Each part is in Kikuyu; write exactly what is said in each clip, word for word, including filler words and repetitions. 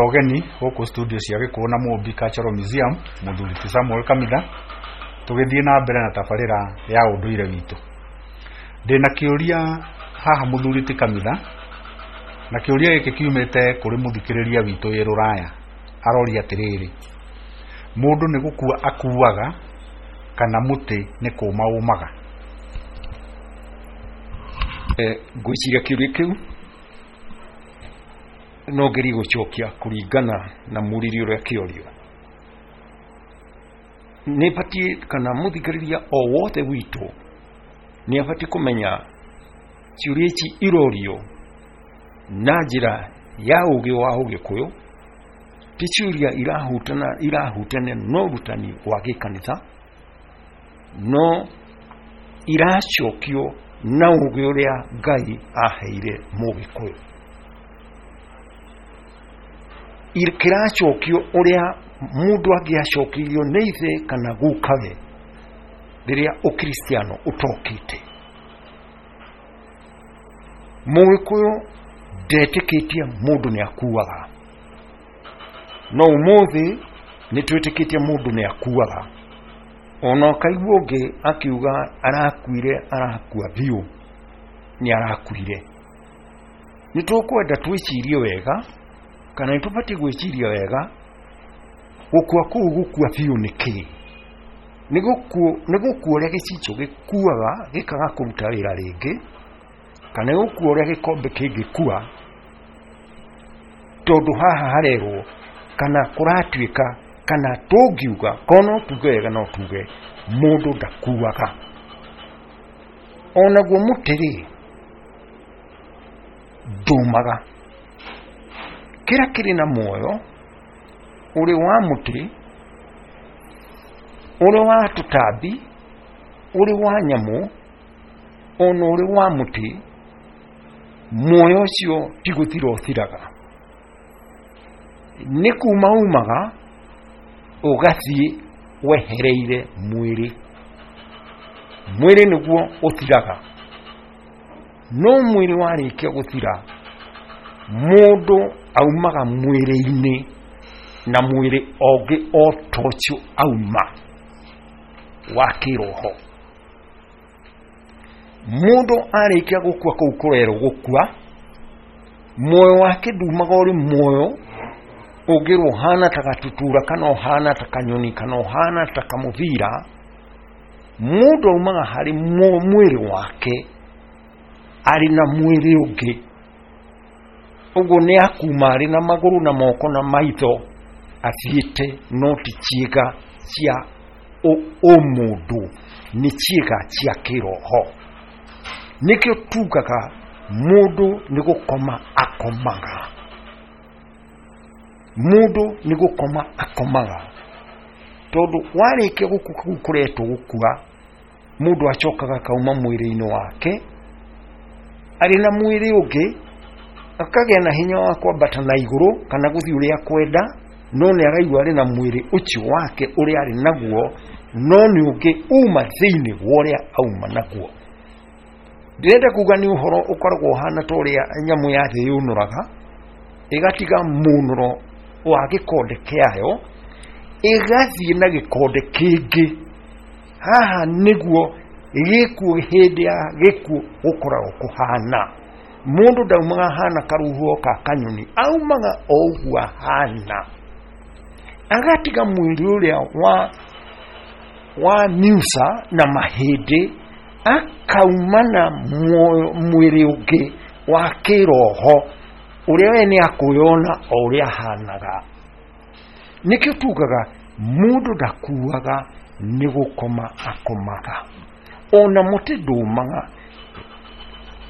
Ũgeni gũkũ studio cia Gĩkũyũ na Mũmbi Cultural Museum, mũthuri ti Samuel Kamitha, tũgĩthiĩ na mbere na tabarĩra ya ũndũire witũ. Ndĩna kĩũria haha, mũthuri ti Kamitha, na kĩũria gĩkĩ kiumĩte kũrĩ mũthikĩrĩria witũ wĩ rũraya. Aroria atĩrĩrĩ, mũndũ nĩ gũkua akuaga kana mũtĩ nĩ kũma ũmaga? Ngwĩciria kĩũria kĩu no ngerie gũcokia kũringana na mũriri ũrĩa kĩorio. Nĩ batiĩ kana mũthikĩrĩria o wothe witũ nĩ abatiĩ kũmenya ciũria ici irorio na njĩra ya ũgĩ wa Ũgĩkũyũ, ti ciũria irahutana irahutania na ũrutani wa gĩkanitha, no iracokio na ũgĩ ũrĩa Ngai aheire Mũgĩkũyũ. Kĩracokio ũrĩa mũndũ angĩacokeirio nĩ ithe kana gukawe rĩrĩa ũkristiano ũtokĩte. Mũgĩkũyũ ndetĩkĩtie mũndũ nĩ akuaga, no ũmũthĩ nĩ twĩtĩkĩtie mũndũ nĩ akuaga. Ona ũkaigua ũngĩ akiuga arakuire, arakua biũ, nĩ arakuire. Nĩ tũkwenda twĩcirie wega, kana nĩ tũbatiĩ gwĩciria wega, gũkua kũu gũkua biũ nĩ kĩĩ? Nĩ gũkua ũrĩa gĩcicio gĩkuaga gĩkaga kũruta wĩra rĩngĩ, kana nĩ gũkua ũrĩa gĩkombe kĩngĩkua? Tondũ haha harerwo kana kũratuĩka, kana tũngiuga, korwo no tuge wega no tuge mũndũ ndakuaga. Onaguo mũtĩ rĩ, ndũmaga. Kĩrĩa kĩrĩ na muoyo ũrĩ wa mũtĩ, ũrĩ wa tũtambi, ũrĩ wa nyamũ, ona ũrĩ wa mũtĩ, muoyo ũcio ti gũthira ũthiraga, nĩ kuma umaga ũgathiĩ wehereire mwĩrĩ. Mwĩrĩ nĩguo ũthiraga, no mwĩrĩ warĩkia gũthira, mũndũ aumaga mwĩrĩ-inĩ na mwĩrĩ ũngĩ o ta ũcio auma wa kĩroho. Mũndũ arĩkia gũkua kũu kũrerwo gũkua, muoyo wake ndumaga ũrĩ muoyo ũngĩrwo ũhana ta gatutura, kana ũhana ta kanyoni, kana ũhana ta kamũbira. Mũndũ aumaga harĩ mwĩrĩ wake arĩ na mwĩrĩ ũngĩ. Ũguo nĩ akuma arĩ na magũrũ na moko na maitho athiĩte, no ti ciĩga cia ũmũndũ, nĩ ciĩga cia kĩroho. Nĩkĩo tugaga mũndũ nĩ gũkoma akomaga. Mũndũ nĩ gũkoma akomaga, tondũ warĩkia gũkua kũu kũretwo gũkua, mũndũ acokaga akauma mwĩrĩ-inĩ wake arĩ na mwĩrĩ ũngĩ, akagĩa na hinya wa kwambata na igũrũ kana gũthiĩ ũrĩa kwenda, no nĩ araigua arĩ na mwĩrĩ ũcio wake ũrĩa arĩ naguo, no nĩ ũngĩ uma thĩinĩ wa ũrĩa auma naguo. Ndĩrenda kuga nĩ ũhoro ũkoragwo ũhana ta ũrĩa nyamũ ya thĩ yũnũraga, ĩgatiga mũnũro wa gĩkonde kĩayo, ĩgathiĩ na gĩkonde kĩngĩ. Haha nĩguo gĩkuũ, hĩndĩ ya gĩkuũ gũkoragwo kũhana. Mũndũ ndaumaga ahana karuhuho ka kanyoni, aumaga o ũguo ahana, agatiga mwĩrĩ ũrĩa wa wa miuca na mahĩndĩ, akauma na mwĩrĩ ũngĩ wa kĩroho ũrĩa we nĩ akwĩyona o ũrĩa ahanaga. Nĩkĩo tugaga mũndũ ndakuaga, nĩ gũkoma akomaga. Ona mũtĩ ndũmaga,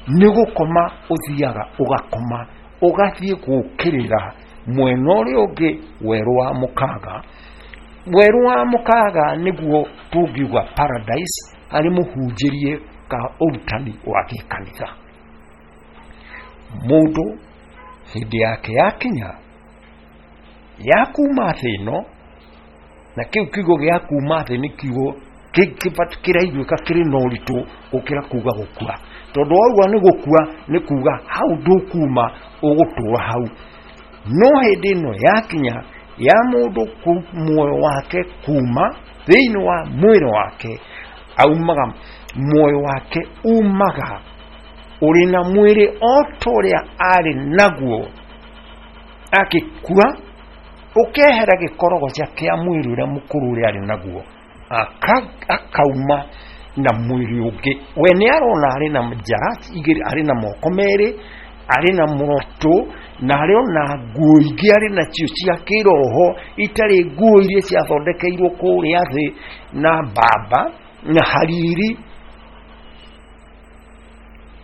nĩ gũkoma ũthiaga ũgakoma, ũgathiĩ gũkĩrĩra mwena ũrĩa ũngĩ, werũ wa mũkaga. Werũ wa mũkaga nĩguo tũngiuga paradise harĩ mũhunjĩrie ka ũrutani wa gĩkanitha. Mũndũ hĩndĩ yake yakinya ya kuma thĩ ĩno, na kĩu kiugo gĩa kuma thĩ nĩ kiugo kĩraiguĩka kĩrĩ na ũritũ gũkĩra kuga gũkua, tondũ wauga nĩ gũkua nĩ kuga hau ndũkuma, ũgũtũra hau. No hĩndĩ ĩno yakinya ya mũndũ muoyo wake kuma thĩinĩ wa mwĩrĩ wake, aumaga muoyo wake umaga ũrĩ na mwĩrĩ o ta ũrĩa arĩ naguo akĩkua, ũkehera gĩkorogoca kĩa mwĩrĩ ũrĩa mũkũrũ ũrĩa arĩ naguo, akauma na mwĩrĩ ũngĩ. We nĩ arona arĩ na njara igĩrĩ, arĩ na moko merĩ, arĩ na mũrotũ, na arĩ ona nguo ingĩ arĩ nacio cia kĩroho, itarĩ nguo iria ciathondekeirwo kũrĩa thĩ na mbamba na hariri,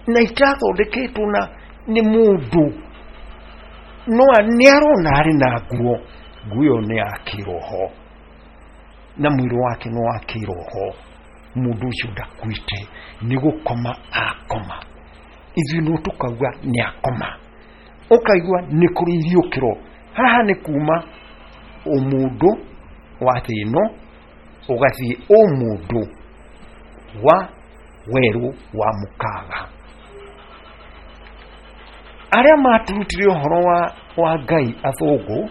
na itathondeketwo na nĩ mũndũ. No nĩ arona arĩ na nguo, nguo ĩyo nĩ ya kĩroho na mwĩrĩ wake nĩ wa kĩroho. Mũndũ ũcio ndakuĩte, nĩ gũkoma akoma. Ithuĩ no tũkauga nĩ akoma, ũkaigua nĩ kũrĩ iriũkĩro. Haha nĩ kuma ũmũndũ wa thĩ ĩno ũgathiĩ ũmũndũ wa werũ wa mũkaga. Arĩa maturutire ũhoro wa, wa Ngai athũngũ,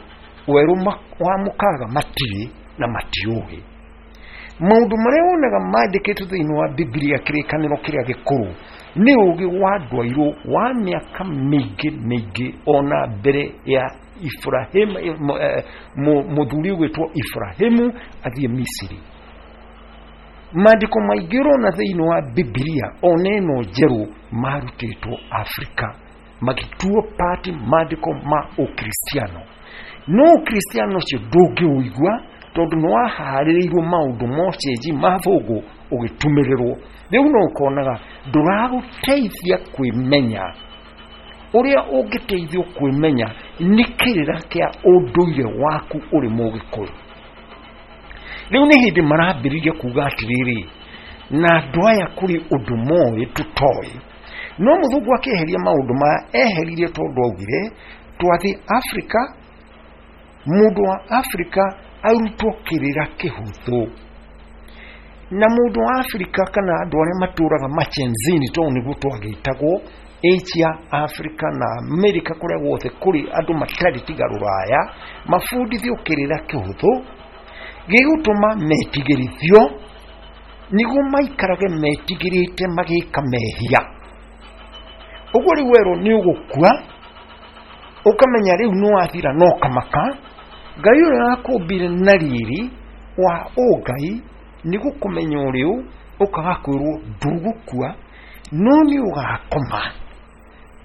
werũ wa mũkaga matirĩ na matiũĩ. Maũndũ marĩa wonaga mandĩkĩtwo thĩinĩ wa Bibilia kĩrĩkanĩro kĩrĩa gĩkũrũ nĩ ũgĩ wa ndwairwo wa mĩaka mĩingĩ mĩingĩ ona mbere ya Ibrahim, mũthuri ũgwĩtwo Ibrahimu athiĩ Misiri. Maandĩko maingĩ ũrona thĩinĩ wa Bibilia ona ĩno njerũ marutĩtwo Afrika, magĩtuo pati maandĩko ma Ũkristiano. No Ũkristiano ũcio ndũngĩũigua tondũ nĩ waharĩrĩirwo maũndũ ma ũcenji ma thũngũ ũgĩtumĩrĩrwo. Rĩu no ũkonaga ndũragũteithia kwĩmenya. Ũrĩa ũngĩteithio kwĩmenya nĩ kĩrĩra kĩa ũndũire waku ũrĩ Mũgĩkũyũ. Rĩu nĩ hĩndĩ marambĩrĩria kuga atĩrĩrĩ, na andũ aya kũrĩ ũndũ moĩ tũtoĩ. No mũthũngũ akĩeheria maũndũ maya eheririe tondũ augire twathiĩ Afrika, mũndũ wa Afrika arutwo kĩrĩra kĩhũthũ. Na mũndũ wa Afrika kana andũ arĩa matũraga machenzini, tondũ nĩguo twagĩtagwo Asia, Afrika na Amerika, kũrĩa guothe kũrĩ andũ matarĩ tiga rũraya, mabundithio kĩrĩra kĩhũthũ gĩgũtũma metigĩrithio, nĩguo maikarage metigĩrĩte magĩka mehia. Ũguo rĩu werwo nĩ ũgũkua, ũkamenya rĩu nĩ wathira no kamaka. Ngai ũrĩa wakũmbire na riri wa ũngai nĩ gũkũmenya ũrĩũ, ũkaga kwĩrwo ndũgũkua no nĩ ũgakoma.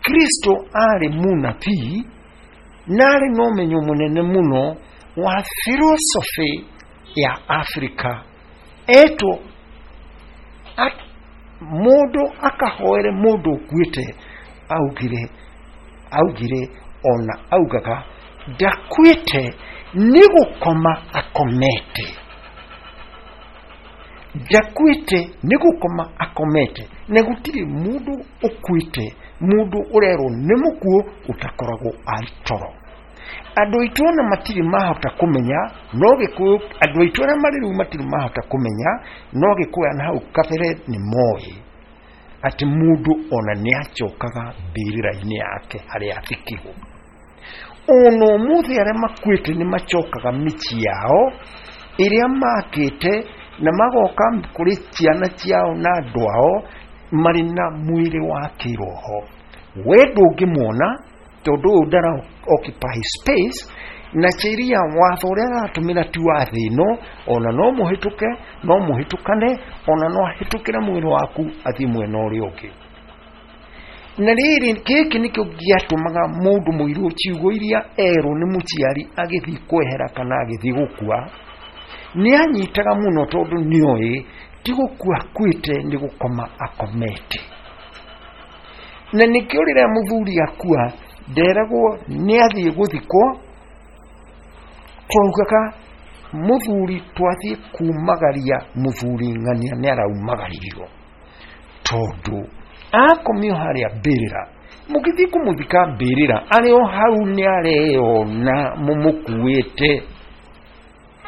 Kristo arĩ mũnabii na arĩ na ũmenyo mũnene mũno wa philosophy ya Afrika. Etwo mũndũ akahoere mũndũ ũkuĩte, augire augire ona augaga ndakuĩte, nĩ gũkoma akomete. Ndakuĩte, nĩ gũkoma akomete. Na gũtirĩ mũndũ ũkuĩte, mũndũ ũrerwo nĩ mũkuũ ũtakoragwo arĩ toro. Andũ aitũ ona matirĩ mahota kũmenya, no Gĩkũyũ, andũ aitũ arĩa marĩ rĩu matirĩ mahota kũmenya, no Gĩkũyũ na hau kabere nĩ moĩ atĩ mũndũ ona nĩ acokaga mbĩrĩra-inĩ yake harĩa athikirwo. Ona ũmũthĩ arĩa makuĩte nĩ macokaga mĩciĩ yao ĩrĩa makĩte, na magoka kũrĩ ciana ciao na andũ ao marĩ na mwĩrĩ wa kĩroho. We ndũngĩmuona tondũ ũyũ ndara occupy space, na sheria watho ũrĩa aratũmĩra ti wa thĩ ĩno, ona no mũhĩtũke, no mũhĩtũkane, ona no ahĩtũkĩre mwĩrĩ waku athiĩ mwena ũrĩa ũngĩ. Na rĩrĩ gĩkĩ nĩkĩo gĩatũmaga mũndũ mũirũ ciugo iria erwo nĩ mũciari agĩthiĩ kwehera kana agĩthiĩ gũkua, nĩ anyitaga mũno tondũ nĩoĩ ti gũkua akuĩte, nĩ gũkoma akomete. Na nĩkĩo rĩrĩa mũthuri akua nderagwo nĩ athiĩ gũthikwo, twaugaga mũthuri twathiĩ kumagaria mũthuri ng'ania nĩ araumagaririo, tondũ akomio harĩa mbĩrĩra, mũgĩthiĩ kũmũthika mbĩrĩra arĩ o hau nĩ areyona mũmũkuĩte,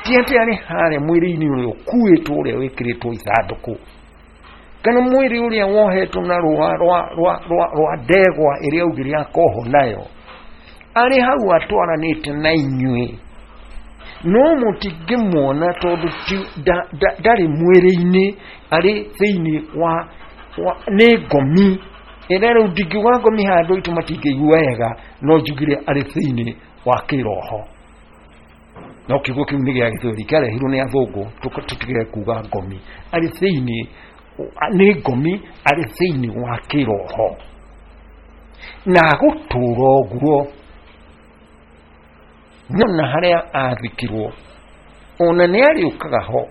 ti atĩ arĩ harĩa mwĩrĩ-inĩ ũrĩa ũkuĩtwo ũrĩa wĩkĩrĩtwo ithandũkũ, kana mwĩrĩ ũrĩa wohetwo na rũa rwa rwa rwa rwa ndegwa ĩrĩa augire akohwo nayo. Arĩ hau atwaranĩte na inyuĩ, no mũtingĩmuona tondũ ndarĩ mwĩrĩ-inĩ, arĩ thĩinĩ wa, wa nĩ ngomi ĩrĩa rĩu ndingiuga ngomi handũ itũ matingĩigua wega, no njugire arĩ thĩinĩ wa kĩroho. No kiugo kĩu nĩ gĩa Gĩthweri, kĩarehirwo nĩ athũngũ, tũtige kuga ngomi. Arĩ thĩinĩ, nĩ ngomi, arĩ thĩinĩ wa kĩroho na agũtũra ũguo. Nona harĩa athikirwo, ona nĩ arĩũkaga ho,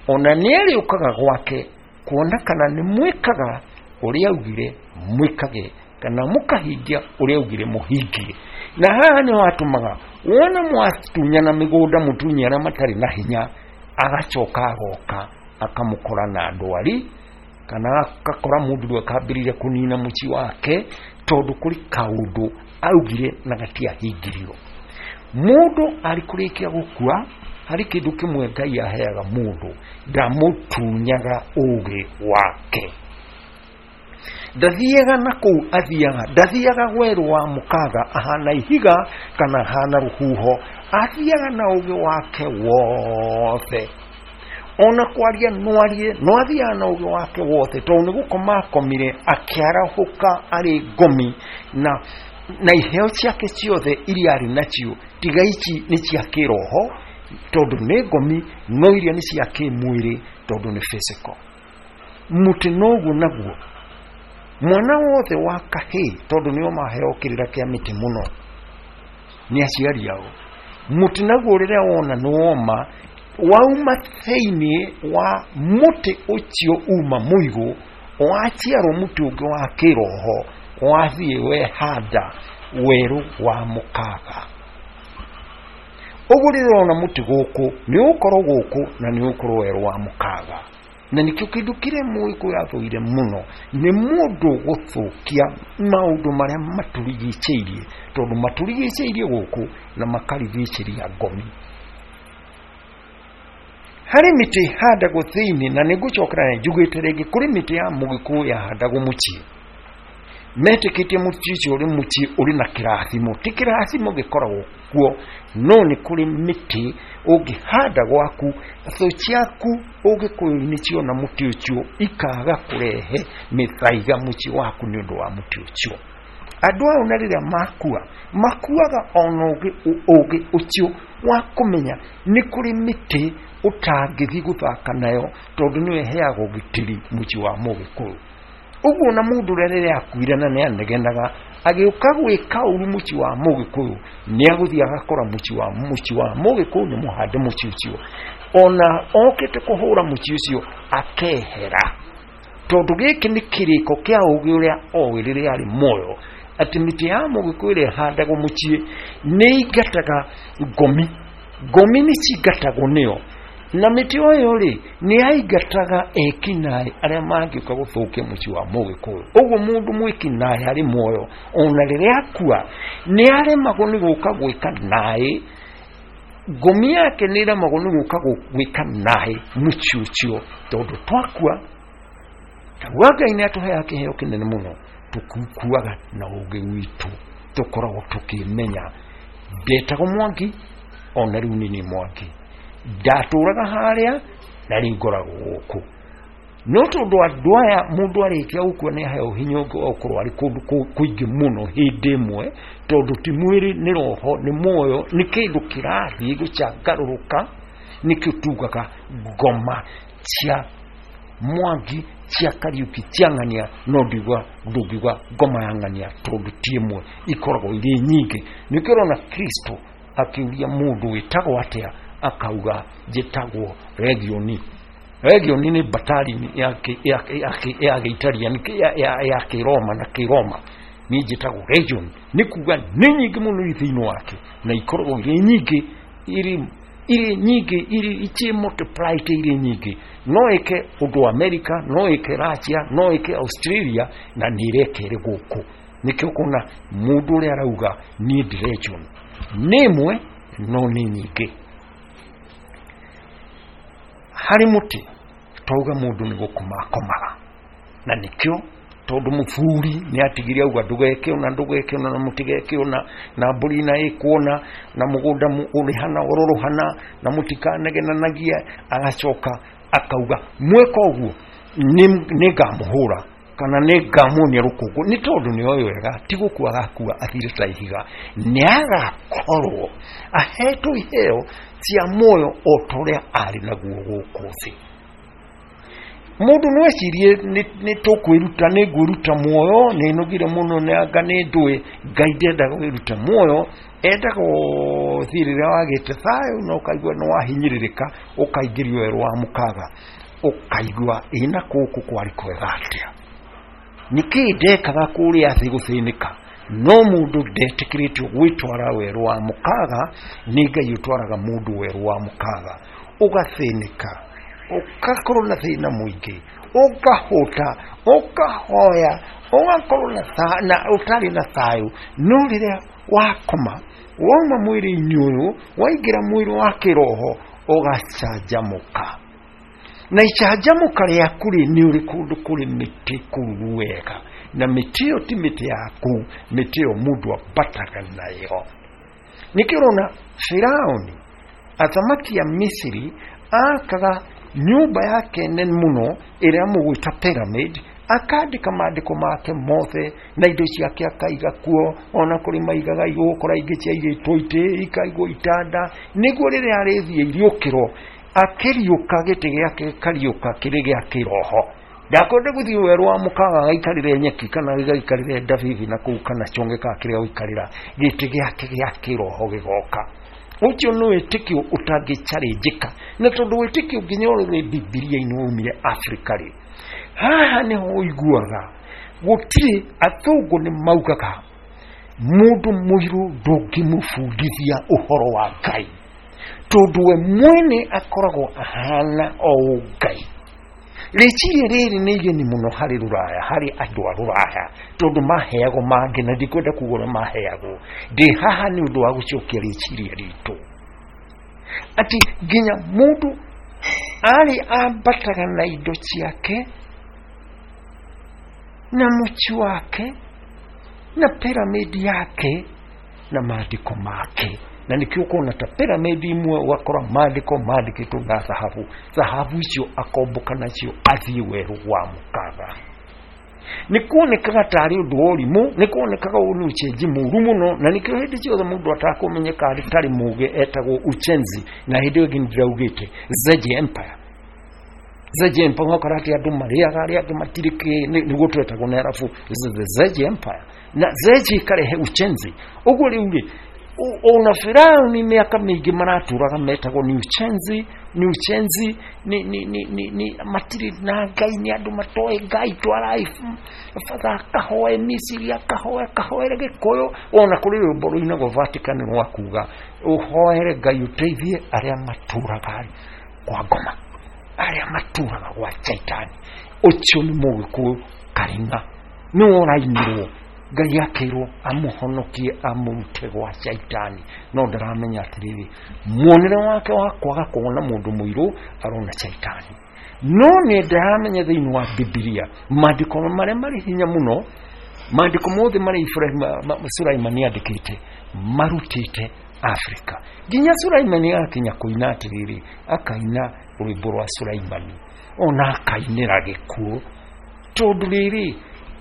ona nĩ arĩũkaga gwake kuona kana nĩ mwĩkaga ũrĩa augire mwĩkage, kana mũkahingia ũrĩa augire mũhingie. Na haha nĩho atũmaga wona mwatunyana mĩgũnda, mũtunye arĩa matarĩ na hinya, agacoka agoka akamũkora na ndwari, kana agakora mũndũ rĩu akambĩrĩria kũnina mũciĩ wake, tondũ kũrĩ kaũndũ augire na gatiahingirio. Mũndũ arĩ kũrĩkia gũkua, harĩ kĩndũ kĩmwe Ngai aheaga mũndũ, ndamũtunyaga ũgĩ wake. Ndathiaga na kũu athiaga, ndathiaga werũ wa mũkaga ahana ihiga kana ahana rũhuho, athiaga na ũgĩ wake wothe. Ona kwaria no arie, no athiaga na ũgĩ wake wothe, tondũ nĩ gũkoma akomire akĩarahũka arĩ ngomi, na na iheo ciake ciothe iria arĩ nacio, tiga ici nĩ cia kĩroho tondũ nĩ ngomi, no iria nĩ cia kĩmwĩrĩ tondũ nĩ physical. Mũtĩ noguo naguo, mwana wothe wa kahĩĩ, tondũ nĩo maheo kĩrĩra kĩa mĩtĩ mũno nĩ aciari ao, mũtĩ naguo rĩrĩa wona nĩ woma, wauma thĩinĩ wa mũtĩ ũcio uma mũigũ, waciarwo mũtĩ ũngĩ wa kĩroho, wathiĩ wehanda werũ wa mũkaga. Ũguo rĩrĩa ũrona mũtĩ gũkũ, nĩ ũgũkorwo gũkũ na nĩ ũgũkorwo werũ wa mũkaga. Na nĩkĩo kĩndũ kĩrĩa Mũgĩkũyũ athũire mũno nĩ mũndũ gũthũkia maũndũ marĩa matũrigicĩirie, tondũ matũrigicĩirie gũkũ na makarigicĩria ngomi. Harĩ mĩtĩ ĩhandagwo thĩinĩ, na nĩ ngũcokera na njugĩte rĩngĩ, kũrĩ mĩtĩ ya Mũgĩkũyũ yahandagwo mũciĩ, metĩkĩtie mũciĩ ũcio ũrĩ mũciĩ ũrĩ na kĩrathimo. Ti kĩrathimo gĩkoragwo kuo, no nĩ kũrĩ mĩtĩ ũngĩhanda gwaku, thũ ciaku Ũgĩkũyũ-inĩ ciona mũtĩ ũcio ikaga kũrehe mĩthaiga mũciĩ waku nĩ ũndũ wa mũtĩ ũcio. Andũ ao na rĩrĩa makua, makuaga ona ũgĩ ũgĩ ũcio wa kũmenya nĩ kũrĩ mĩtĩ ũtangĩthiĩ gũthaka nayo, tondũ nĩyo ĩheaga ũgitĩri mũciĩ wa Mũgĩkũyũ. Ũguo na mũndũ ũrĩa rĩrĩa akuire na nĩ anegenaga agĩũka gwĩka ũru mũciĩ wa Mũgĩkũyũ, nĩ agũthiĩ agakora mũciĩ wa mũciĩ wa Mũgĩkũyũ nĩ mũhande mũciĩ ũcio, ona okĩte kũhũra mũciĩ ũcio akehera, tondũ gĩkĩ nĩ kĩrĩko kĩa ũgĩ ũrĩa oĩ rĩrĩa arĩ muoyo, atĩ mĩtĩ ya Mũgĩkũyũ ĩrĩa ĩhandagwo mũciĩ nĩ ĩingataga ngomi. Ngomi nĩ cingatagwo nĩyo, na mĩtĩ ũyũ rĩ nĩ yaingataga ekinaĩ arĩa mangĩũka gũthũkia mũciĩ wa Mũgĩkũyũ. Ũguo mũndũ mwĩkinaĩ arĩ muoyo, ona rĩrĩa akua nĩ aremagwo nĩ gũka gwĩka naĩ, ngomi yake nĩ ĩremagwo nĩ gũka gwĩka naĩ mũciĩ ũcio, tondũ twakua tauga Ngai nĩ atũheaga kĩheo kĩnene mũno, tũkuaga na ũgĩ witũ, tũkoragwo tũkĩmenya ndetagwo Mwangi, ona rĩu nĩ niĩ Mwangi, ndatũraga harĩa na rĩu ngoragwo gũkũ. No tondũ andũ aya mũndũ arĩkia gũkua nĩ aheo hinya ũngĩ wa gũkorwo arĩ kũndũ kũingĩ mũno hĩndĩ ĩmwe, tondũ ti mwĩrĩ, nĩ roho, nĩ muoyo, nĩ kĩndũ kĩrathiĩ gũcangarũrũka. Nĩkĩo tugaga ngoma cia Mwangi, cia Kariuki, cia Ng'ania, no ndiuga ndũngiuga ngoma ya Ng'ania tondũ ti ĩmwe, ikoragwo irĩ nyingĩ. Nĩkĩo ũrona Kristo akĩũria mũndũ wĩtagwo atĩa, akauga njĩtagwo Legioni. Legioni nĩ batari ya ya Gĩitaliani ya Kĩroma na Kĩroma, niĩ njĩtagwo Legion, nĩ kuga nĩ nyingĩ mũno irĩ thĩinĩ wake, na ikoragwo irĩ nyingĩ, irĩ irĩ nyingĩ, irĩ ici multiplied irĩ nyingĩ. No ĩke ũndũ America, no ĩke Russia, no ĩke Australia, na nĩ ĩreka ĩrĩ gũkũ. Nĩkĩo ũkona mũndũ ũrĩa arauga niĩ ndĩ Legion, nĩ ĩmwe no nĩ nyingĩ. Harĩ mũtĩ twauga mũndũ nĩ gũkoma akomaga, na nĩkĩo Tondu muburi ni atigire auga ndugeke ona ndugeke ona na mutigeke ona na mburi na ikuona na mugunda urihana ururuhana na mutikanegenanagia. Agacoka akauga mweka uguo nĩngamũhũra kana nĩngamuonia rũkũngũ, nĩ tondũ nĩoĩ wega ti gũkua agakua athire ta ihiga, nĩagakorwo ahetwo iheo cia muoyo o ta ũrĩa arĩ naguo gũkũ thĩ. Mũndũ no ecirie nĩ tũkwĩruta, nĩ ngwĩruta muoyo, nĩ nogire mũno nĩ anga nĩ ndũĩ. Ngai ndendaga wĩrute muoyo, endaga ũthiĩ rĩrĩa wagĩte thayũ na ũkaigua nĩ wahinyĩrĩrĩka, ũkaingĩrio werũ wa mũkaga, ũkaigua ĩna kũkũ kwarĩ kwega atĩa, nĩkĩĩ ndekaga kũrĩa thĩ gũthĩnĩka. No mũndũ ndetĩkĩrĩtio gwĩtwara werũ wa mũkaga, nĩ Ngai ũtwaraga mũndũ werũ wa mũkaga, ũgathĩnĩka, ũgakorwo na thĩna mũingĩ, ũkahũta, ũkahoya, ũgakorwo na ũtarĩ na thayũ. No rĩrĩa wakoma wauma mwĩrĩ-inĩ ũyũ waingĩra mwĩrĩ wa kĩroho, ũgacanjamũka. Na icanjamũka rĩaku rĩ, nĩ ũrĩ kũndũ kũrĩ mĩtĩ kũruru wega, na mĩtĩ ĩyo ti mĩtĩ yaku, mĩtĩ ĩyo mũndũ ambataga nayo. Nĩkĩo ũrona Firaũni athamaki a Misiri akaga nyũmba yake nene mũno ĩrĩa mũgwĩta pyramid, akandĩka maandĩko make mothe na indo ciake akaiga kuo, ona kũrĩ maigaga igũkora ingĩ ciaigĩtwo itĩ, ikaigwo itanda, nĩguo rĩrĩa arĩthiĩ iriũkĩro akĩriũka gĩtĩ gĩake gĩkariũka kĩrĩ gĩa kĩroho. Ndakwenda gũthiĩ werũ wa mũkaga agaikarĩre nyeki kana gĩgaikarĩre ndabibi na kũu kana chonge ka kĩrĩa gũikarĩra, gĩtĩ gĩake gĩa kĩroho gĩgoka. Ũcio nĩ wĩtĩkio ũtangĩcarĩnjĩka, na tondũ wĩtĩkio nginya ũrĩ Bibilia-inĩ waumire Afrika rĩ, haha nĩho ũiguaga gũtirĩ athũngũ nĩ maugaga mũndũ mũirũ ndũngĩmũbundithia ũhoro wa Ngai, tondũ we mwene akoragwo ahana o Ngai. Rĩciria rĩrĩ nĩ igeni mũno harĩ rũraya, harĩ andũ a rũraya, tondũ maheagwo mangĩ, na ndikwenda kuga ũrĩa maheagwo. Ndĩ haha nĩ ũndũ wa gũcokia rĩciria ritũ atĩ nginya mũndũ arĩ ambataga na indo ciake na mũci wake na piramidi yake na maandĩko make. Na nĩkĩo ũkona ta piramidi imwe ũgakora maandĩko mandĩkĩtwo na thahabu, thahabu icio akombũka nacio athiĩ werũ wa mũkaga. Nĩ kuonekaga tarĩ ũndũ wa ũrimũ, nĩ kuonekaga ũyũ nĩ ũcenji mũũru mũno, na nĩkĩo hĩndĩ ciothe mũndũ atakũmenyeka tarĩ mũgĩ etagwo uchenzi. Na hĩndĩ ĩyo ĩngĩ nĩndĩraugĩte Zeji Empire, Zeji Empire ũgakora atĩ andũ marĩaga arĩa angĩ matirĩ kĩ, nĩguo twetagwo nĩ Arabu the Zeji Empire, na Zeji ĩkarehe uchenzi. Ũguo rĩu rĩ, ona Firaũni mĩaka mĩingĩ maratũraga metagwo ni uchenzi, ni uchenzi, ni ni ni ni, ni matirĩ na Ngai, nĩ andũ matoĩ Ngai, twarai batha akahoe Misiri, akahoe akahoere Gĩkũyũ. Ona kũrĩ rwĩmbo rũinagwo Vatican rwa kuga ũhoere Ngai ũteithie arĩa matũraga kwa ngoma, arĩa matũraga gwa Shaitani. Ũcio nĩ Mũgĩkũyũ Karina, nĩwe ũrainĩrwo Ngai akĩrwo amũhonokie amũrute gwa Shaitani, no ndaramenya atĩrĩrĩ, muonere wake wa kwaga kuona mũndũ mũirũ arona Shaitani. No nĩ ndaramenya thĩinĩ wa Bibilia maandĩko marĩa marĩ hinya mũno, maandĩko mothe marĩa Ibrahim Sulaimani andĩkĩte marutĩte Afrika. Nginya Sulaimani agakinya kũina atĩrĩrĩ, akaina rwĩmbo rwa Sulaimani, ona akainĩra gĩkuũ, tondũ rĩrĩ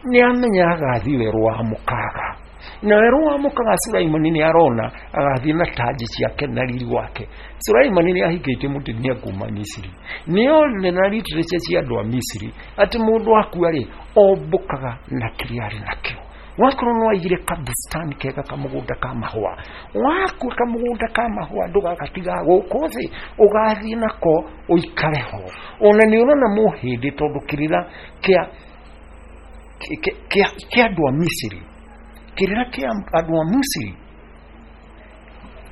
nĩ amenya agathiĩ werũ wa mũkaga, na werũ wa mũkaga Sulaimani nĩ arona agathiĩ na tanji ciake na riri wake. Sulaimani nĩ ahingĩte mũtumia kuma Misiri, nĩ onire na literature cia andũ a Misiri atĩ mũndũ akua rĩ ombũkaga na kĩrĩa arĩ nakĩo. Wakorwo nĩ waigire kabustani kega kamũgũnda ka mahũa, wakua kamũgũnda ka mahũa ndũgagatiga gũkũ thĩ, ũgathiĩ nako ũikare ho. Ona nĩ ũrona mũhĩndĩ, tondũ kĩrĩra kĩa kĩa andũ a Misiri, kĩrĩra kĩa andũ a Misiri,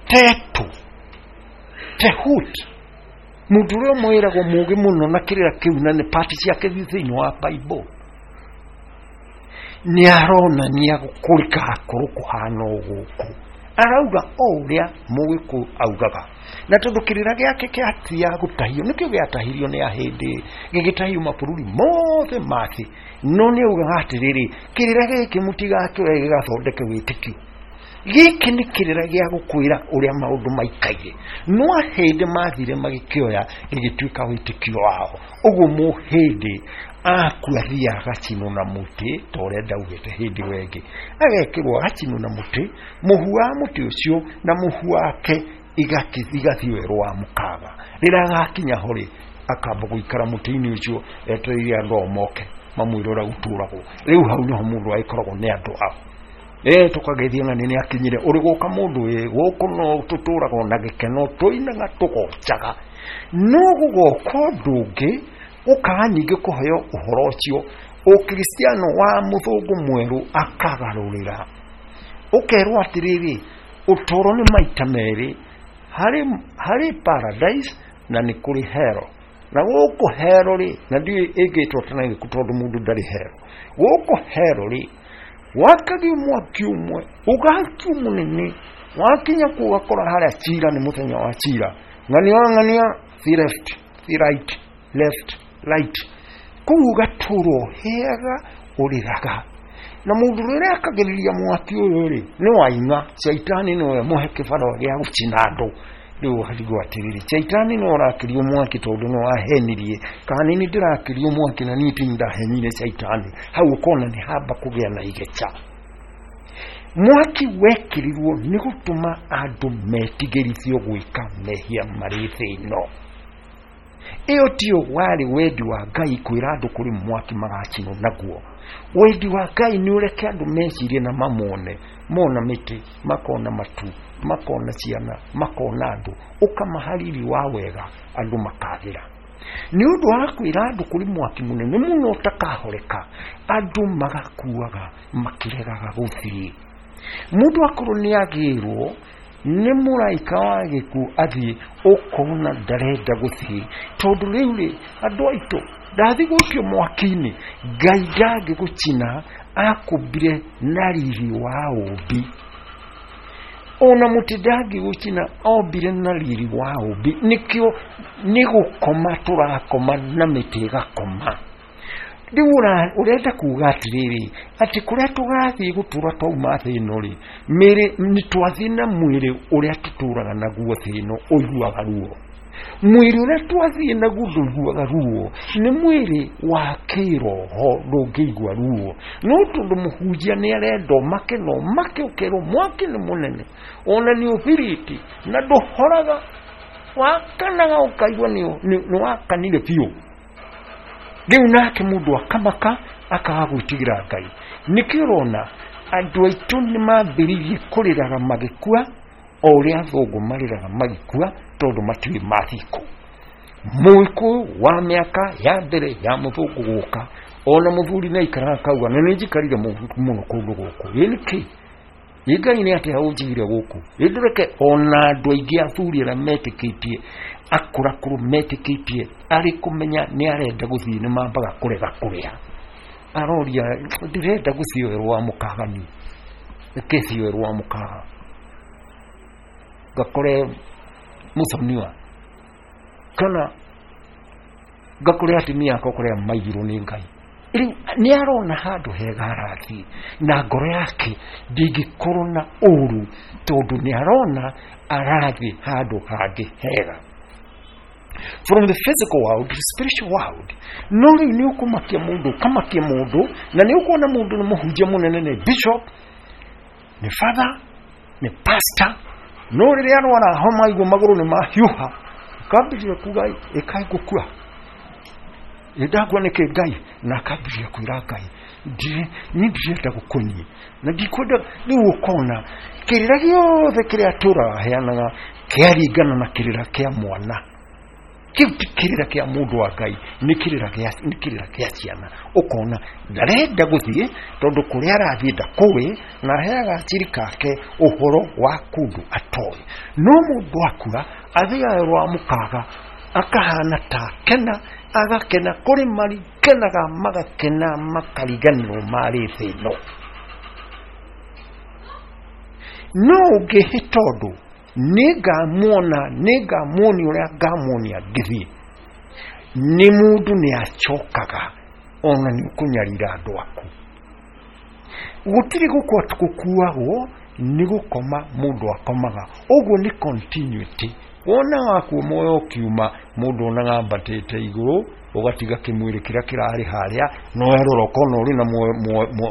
Tetu, Tehut, mũndũ ũrĩa mwĩragwo mũũgĩ mũno na kĩrĩra kĩu na nĩ pati ciake thĩinĩ wa Bible, nĩ aronania kũrĩ gakorwo kũhana o gũkũ, Arauga o ũrĩa Mũgĩkũyũ augaga. Na tondũ kĩrĩra gĩake kĩatia gũtahio, nĩkĩo gĩatahirio nĩ ahĩndĩ, gĩgĩtahio mabũrũri mothe ma thĩ. No nĩ augaga atĩrĩrĩ, kĩrĩra gĩkĩ mũtigakĩoe gĩgathondeke wĩtĩkio. Gĩkĩ nĩ kĩrĩra gĩa gũkwĩra ũrĩa maũndũ maikaire. No ahĩndĩ mathire magĩkĩoya gĩgĩtuĩka wĩtĩkio wao. Ũguo mũhĩndĩ akua athiaga agacinwo na mũtĩ ta ũrĩa ndaugĩte hĩndĩ ĩyo ĩngĩ. Agekĩrwo agacinwo na mũtĩ, mũhu wa mũtĩ ũcio na mũhu wake igathiĩ werũ wa mũkaga. Rĩrĩa agakinya ho rĩ, akamba gũikara mũtĩ-inĩ ũcio etereire andũ ao moke mamwĩre ũrĩa gũtũragwo. Rĩu hau nĩho mũndũ agĩkoragwo nĩ andũ ao. Eh, tũkagethia ng'ani nĩ akinyire ũrĩ gũka mũndũ ĩ gũkũ no tũtũragwo na gĩkeno tũinaga tũgocaga. No gũgoka ũndũ ũngĩ ũkaga ningĩ kũheo ũhoro ũcio, ũkristiano wa mũthũngũ mwerũ akagarũrĩra. Ũkerwo atĩrĩrĩ, ũtũũro nĩ maita merĩ, harĩ harĩ paradise na nĩ kũrĩ hell. Na gũkũ hell rĩ, na ndiũĩ ĩngĩtwo tena ĩrĩkũ tondũ mũndũ ndarĩ hell. Gũkũ hell rĩ, wakagio mwaki ũmwe ũgakio mũnene, wakinya kũu ũgakora harĩa cira nĩ mũthenya wa cira. Ng'ania ng'ania, thi left, thi right, left, right. Kũu ũgatũrwo heaga ũrĩraga. Na mũndũ rĩrĩa akagĩrĩria mwaki ũyũ rĩ, nĩ waing'a, caitani nĩwe mũhe kĩbarũa gĩa gũcina andũ. Rĩu ũkarigwo atĩrĩrĩ, caitani nĩwe ũrakĩrio mwaki tondũ nĩ wahenirie, kana nĩ ndĩrakĩrio mwaki na niĩ ti ndahenire caitani. Hau ũkona nĩ hamba kũgĩa na igeca. Mwaki wekĩrirwo nĩ gũtũma andũ metigĩrithio gwĩka mehia marĩ thĩ ĩno. Ĩyo tiyo warĩ wendi wa Ngai kwĩra andũ kũrĩ mwaki magacinwo naguo. Wendi wa Ngai nĩ ũreke andũ mecirie na mamone, mona mĩtĩ, makona matu, makona ciana, makona andũ, ũkamahariri wa wega andũ makagĩra. Nĩ ũndũ wa kwĩra andũ kũrĩ mwaki mũnene mũno ũtakahoreka, andũ magakuaga makĩregaga gũthiĩ. Mũndũ akorwo nĩ agĩrwo nĩ mũraika wa gĩkuũ athiĩ, ũkona ndarenda gũthiĩ, tondũ rĩu rĩ, andũ aitũ ndathiĩ gũikio mwaki-inĩ, Ngai ndangĩgũcina, akũmbire na riri wa ũmbi. Ona mũtĩ ndangĩgũcina, ombire na riri wa ũmbi. Nĩkĩo nĩ gũkoma tũrakoma na mĩtĩ ĩgakoma. Rĩu ũrenda kuga atĩrĩrĩ, atĩ kũrĩa tũgathiĩ gũtũra twauma thĩ ĩno rĩ, mĩĩrĩ nĩ twathiĩ na mwĩrĩ ũrĩa tũtũraga naguo thĩ ĩno ũiguaga ruo. Mwĩrĩ ũrĩa twathiĩ naguo ndũiguaga ruo, nĩ mwĩrĩ wa kĩroho ndũngĩigua ruo. No tondũ mũhunjia nĩ arenda ũmake na ũmake ũkerwo mwaki nĩ mũnene, ona nĩ ũbiriti na ndũhoraga, wakanaga ũkaigua nĩ wakanire biũ. Rĩu nake mũndũ akamaka akaga gwĩtigĩra Ngai. Nĩkĩo ũrona andũ aitũ nĩ mambĩrĩirie kũrĩraga magĩkua o ũrĩa athũngũ marĩraga magĩkua, tondũ matiũĩ mathiĩ kũ. Mũgĩkũyũ wa mĩaka ya mbere ya mũthũngũ gũka, ona mũthuri nĩ aikaraga akauga na nĩ njikarire mũno kũndũ gũkũ, ĩ nĩkĩ? Ĩ Ngai nĩ atĩa ũnjigire gũkũ? Ĩ ndũreke ona andũ aingĩ athuri arĩa metĩkĩtie akũrakũrũ metĩkĩtie arĩ kũmenya nĩ arenda gũthiĩ nĩ mambaga kũrega kũrĩa. Aroria ndĩrenda gũthiĩ werũ wa mũkaga niĩ, reke thiĩ werũ wa mũkaga ngakore mũthoniwa, kana ngakore atumia akwa kũrĩa maigirwo nĩ Ngai. Rĩu nĩ arona handũ hega arathiĩ na ngoro yake ndĩngĩkorwo na ũru, tondũ nĩ arona arathiĩ handũ hangĩ hega. From the physical world to the spiritual world. No rĩu nĩ ũkũmakia mũndũ, ũkamakia mũndũ, na nĩ ũkuona mũndũ nĩ mũhunjia mũnene, nĩ bishop, nĩ father, nĩ pastor, no rĩrĩa arwara homa aigua magũrũ nĩ mahiũha, akambĩrĩria kuga ĩkai ngũkua, ndagua nĩkĩ Ngai, na akambĩrĩria kwĩra Ngai niĩ ndirenda gũkua niĩ na ndikwenda. Rĩu ũkona kĩrĩra gĩothe kĩrĩa atũraga aheanaga kĩaringana na kĩrĩra kĩa mwana. Kĩu ti kĩrĩra kĩa mũndũ wa Ngai, nĩ kĩrĩra kĩa nĩ kĩrĩra kĩa ciana. Ũkona ndarenda gũthiĩ tondũ kũrĩa arathiĩ ndakũĩ, na aheaga aciri kake ũhoro wa kũndũ atoĩ. No mũndũ akua athiaga werũ wa mũkaga akahana ta akena, agakena kũrĩ marikenaga magakena makariganĩrwo marĩ thĩ ĩno. No ũngĩhĩta ũndũ, nĩngamuona, nĩngamuonia ũrĩa ngamuonia ngĩthiĩ. Nĩ mũndũ nĩ acokaga ona nĩ ũkũnyarira andũ aku. Gũtirĩ gũkua gũkuagwo, nĩ gũkoma mũndũ akomaga. Ũguo nĩ continuity. Wona wakuo muoyo ũkiuma, mũndũ onaga ambatĩte igũrũ, ũgatiga kĩmwĩrĩ kĩrĩa kĩrarĩ harĩa, no werora ũkona ũrĩ na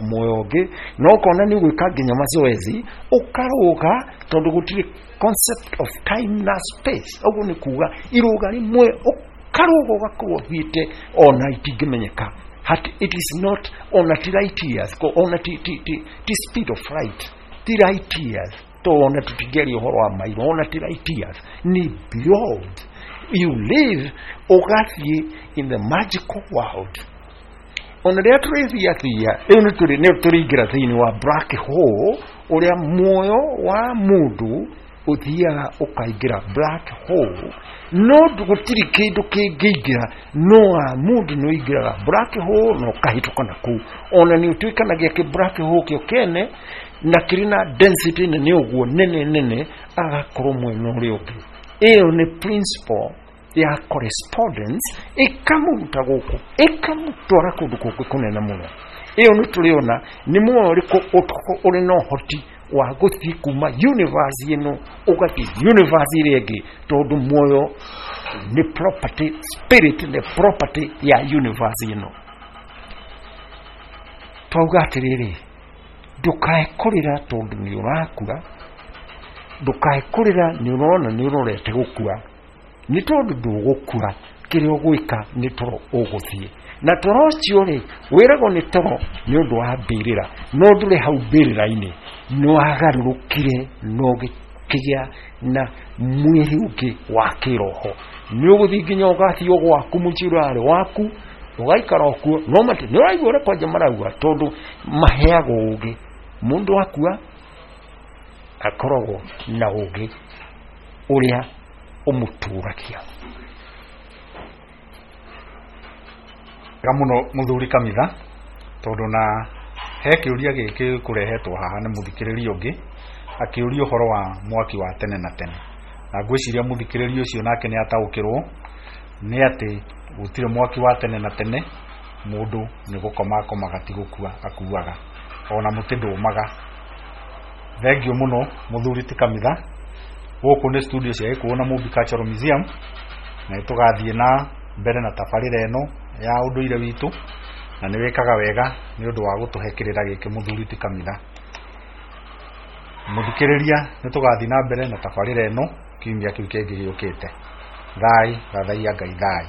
muoyo ũngĩ, na ũkona nĩ ũgwĩka nginya mazoezi, ũkarũga, tondũ gũtirĩ concept of time na space. Ũguo nĩ kuga irũga rĩmwe ũkarũga ũgakorwo ũthiĩte ona itingĩmenyeka. Hat, it is not ona ti light years, ona ti, ti, ti, ti speed of light, ti light years, to ona tũtingĩaria ũhoro wa mairo, ona ti light years, ni beyond. You live ũgathiĩ in the magical world. Ona rĩrĩa tũrĩthiathia, rĩu nĩ tũrĩingĩra thĩinĩ wa black hole, ũrĩa muoyo wa mũndũ ũthiaga ũkaingĩra black hole, no gũtirĩ kĩndũ kĩngĩingĩra, no wa mũndũ nĩ ũingĩraga black hole na ũkahĩtũka na kũu. Ona nĩ ũtuĩkanagia kĩ black hole kĩo kĩene na kĩrĩ na density nene ũguo nene nene, agakorwo mwena ũrĩa ũngĩ. Ĩyo nĩ principle ya correspondence, ĩkamũruta gũkũ ĩkamũtwara kũndũ kũngĩ kũnene mũno. Ĩyo nĩ tũrĩona nĩ muoyo ũrĩkũ ũrĩ na ũhoti wa gũthiĩ kuma universe ĩno ũgathiĩ universe ĩrĩa ĩngĩ, tondũ muoyo nĩ property, spirit nĩ property ya universe ĩno. Twauga atĩrĩrĩ, ndũkae kũrĩra tondũ nĩ ũrakua, ndũkae kũrĩra nĩ ũrona nĩ ũrorete gũkua, nĩ tondũ ndũgũkua, kĩrĩa ũgwĩka nĩ toro ũgũthiĩ. Na toro ũcio rĩ, wĩragwo nĩ toro nĩ ũndũ wa mbĩrĩra, no ndũrĩ hau mbĩrĩra-inĩ, nĩ wagarũrũkire na ũgĩkĩgĩa na mwĩrĩ ũngĩ wa kĩroho. Nĩ ũgũthiĩ nginya ũgathiĩ o gwaku mũciĩ ũrĩa warĩ waku, ũgaikara o kuo, no mati nĩ ũraigua ũrĩa kwanja marauga, tondũ maheagwo ũgĩ. Mũndũ akua akoragwo na ũgĩ ũrĩa ũmũtũragia. Wega mũno mũthuri Kamitha, tondũ na he kĩũria gĩkĩ kũrehetwo haha nĩ mũthikĩrĩria ũngĩ akĩũria ũhoro wa mwaki wa tene na tene, na ngwĩciria mũthikĩrĩria ũcio nake nĩ ataũkĩrwo nĩ atĩ gũtirĩ mwaki wa tene na tene, mũndũ nĩ gũkoma akomaga ti gũkua akuaga, ona mũtĩ ndũmaga. Thengiũ mũno mũthuri ti Kamitha. Gũkũ nĩ studio cia Gĩkũyũ na Mũmbi Cultural Museum, na nĩtũgathiĩ na mbere na tabarĩra ĩno ya ũndũire witũ, na nĩ wĩkaga wega nĩ ũndũ wa gũtũhe kĩrĩra gĩkĩ mũthuri ti Kamitha. Mũthikĩrĩria, nĩ tũgathiĩ na mbere na tabarĩra ĩno kiumia kĩu kĩngĩ gĩũkĩte. Thai, thathaiya Ngai thai.